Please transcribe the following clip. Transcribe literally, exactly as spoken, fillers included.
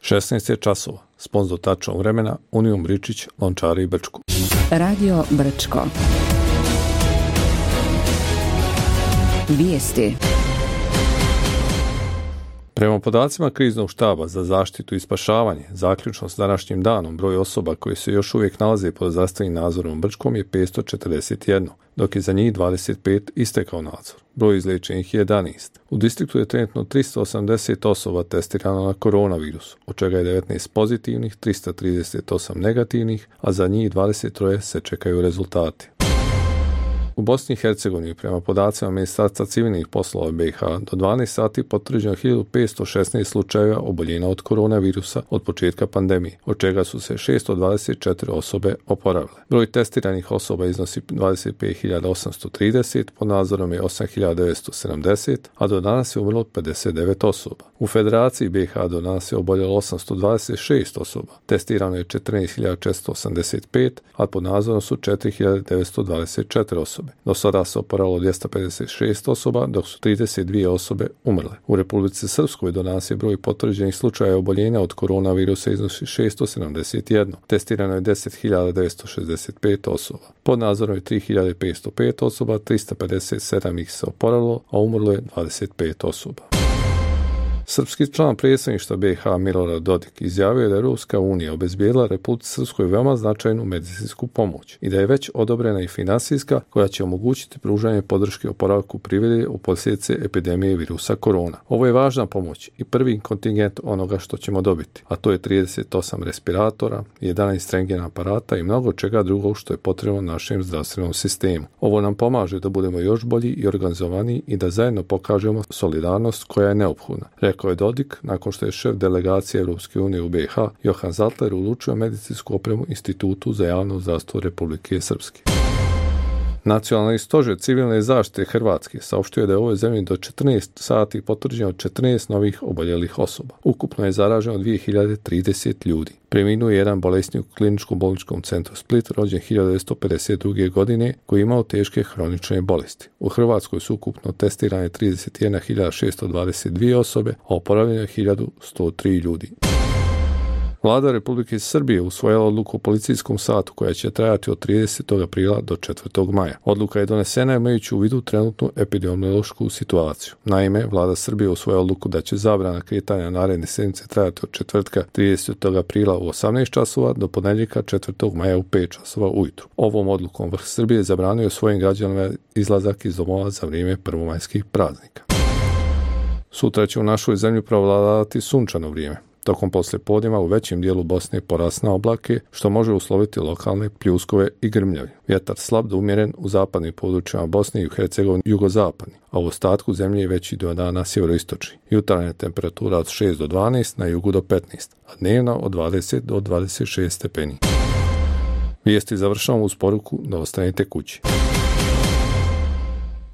šesnaest je časova. Sponzor tačnog vremena Unijom Ričić, Lončari i Brčko. Radio Brčko. Vijesti. Prema podacima kriznog štaba za zaštitu i spašavanje, zaključno s današnjim danom broj osoba koji se još uvijek nalaze pod zdravstvenim nadzorom u Brčkom je petsto četrdeset jedan, dok je za njih dvadeset pet istekao nadzor. Broj izliječenih je jedanaest. U distriktu je trenutno tristo osamdeset osoba testirano na koronavirus, od čega je devetnaest pozitivnih, tristo trideset osam negativnih, a za njih dvadeset tri se čekaju rezultati. U Bosni i Hercegovini, prema podacima Ministarstva civilnih poslova B i H, do dvanaest sati potvrđeno hiljadu petsto šesnaest slučajeva oboljenja od koronavirusa od početka pandemije, od čega su se šesto dvadeset četiri osobe oporavile. Broj testiranih osoba iznosi dvadeset pet hiljada osamsto trideset, pod nadzorom je osam hiljada devetsto sedamdeset, a do danas je umrlo pedeset devet osoba. U Federaciji B i H do danas je oboljelo osamsto dvadeset šest osoba, testirano je četrnaest hiljada četiristo osamdeset pet, a pod nadzorom su četiri hiljade devetsto dvadeset četiri osobe. Do sada se oporavilo dvjesto pedeset šest osoba, dok su trideset dvije osobe umrle. U Republici Srpskoj do danas je broj potvrđenih slučajeva oboljenja od koronavirusa iznosi šesto sedamdeset jedan. Testirano je deset hiljada devetsto šezdeset pet osoba. Pod nadzorom je tri hiljade petsto pet osoba, tristo pedeset sedam ih se oporavilo, a umrlo je dvadeset pet osoba. Srpski član predsjedništva B i H Milorad Dodik izjavio je da je Europska unija obezbijedila Republici Srpskoj veoma značajnu medicinsku pomoć i da je već odobrena i finansijska koja će omogućiti pružanje podrške oporavku privrede u posljedice epidemije virusa korona. Ovo je važna pomoć i prvi kontingent onoga što ćemo dobiti, a to je trideset osam respiratora, jedanaest rentgen aparata i mnogo čega drugog što je potrebno našem zdravstvenom sistemu. Ovo nam pomaže da budemo još bolji i organizovaniji i da zajedno pokažemo solidarnost koja je neophodna, rekao je Dodik nakon što je šef delegacije Europske unije u B i H Johan Zaltler uručio medicinsku opremu Institutu za javno zdravstvo Republike Srpske. Nacionalni stožer civilne zaštite Hrvatske saopštio je da je u ovoj zemlji do četrnaest sati potvrđeno četrnaest novih oboljelih osoba. Ukupno je zaraženo dvije hiljade trideset ljudi. Preminuo je jedan bolesnik u kliničkom bolničkom centru Split, rođen hiljadu devetsto pedeset druge. godine, koji je imao teške hronične bolesti. U Hrvatskoj su ukupno testirane trideset jedna hiljada šesto dvadeset dvije osobe, a oporavljeno je hiljadu sto tri ljudi. Vlada Republike Srbije usvojila odluku o policijskom satu koja će trajati od tridesetog aprila do četvrtog maja. Odluka je donesena imajući u vidu trenutnu epidemiološku situaciju. Naime, Vlada Srbije usvojila odluku da će zabrana kretanja naredne sedmice trajati od četvrtka tridesetog aprila u osamnaest časova do ponedjeljka četvrtog maja u pet časova ujutru. Ovom odlukom vrh Srbije zabranio svojim građanima izlazak iz domova za vrijeme prvomajskih praznika. Sutra će u našoj zemlji prevladavati sunčano vrijeme. Tokom poslijepodneva u većem dijelu Bosne porasna oblake, što može usloviti lokalne pljuskove i grmljavi. Vjetar slab do umjeren u zapadnim područjima Bosne i u Hercegovini jugozapadni, a u ostatku zemlje je veći dio dana sjeveroistočni. Jutarnja temperatura od šest do dvanaest, na jugu do petnaest, a dnevna od dvadeset do dvadeset šest stepeni. Vijesti završavamo uz poruku da ostanete kući.